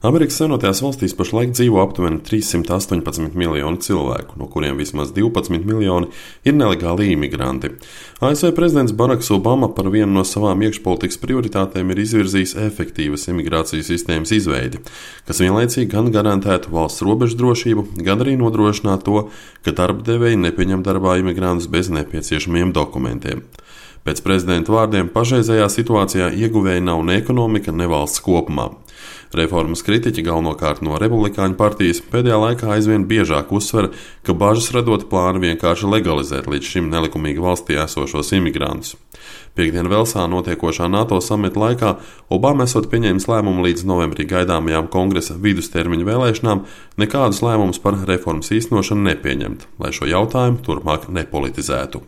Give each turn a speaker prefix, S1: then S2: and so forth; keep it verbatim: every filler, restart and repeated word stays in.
S1: Amerikas Savienotajās valstīs pašlaik dzīvo aptuveni trīssimt astoņpadsmit miljoni cilvēku, no kuriem vismaz divpadsmit miljoni ir nelegāli imigranti. A S V prezidents Baraks Obama par vienu no savām iekšpolitikas prioritātēm ir izvirzījis efektīvas imigrācijas sistēmas izveidi, kas vienlaicīgi gan garantētu valsts robežu drošību, gan arī nodrošinātu to, ka darba devēji nepieņem darbā imigrantus bez nepieciešamiem dokumentiem. Pēc prezidenta vārdiem pašreizējā situācijā ieguvēja nav ne ekonomika, ne valsts kopumā. Reformas kritiķi galvenokārt no Republikāņu partijas pēdējā laikā aizvien biežāk uzsver, ka bažas radot plānu vienkārši legalizēt līdz šim nelikumīgi valstī esošos imigrantus. Piektdien Velsā notiekošā NATO samita laikā Obama esot pieņēmis lēmumu līdz novembrī gaidāmajām kongresa vidustermiņa vēlēšanām nekādus lēmumus par reformas īstenošanu nepieņemt, lai šo jautājumu turpmāk nepolitizētu.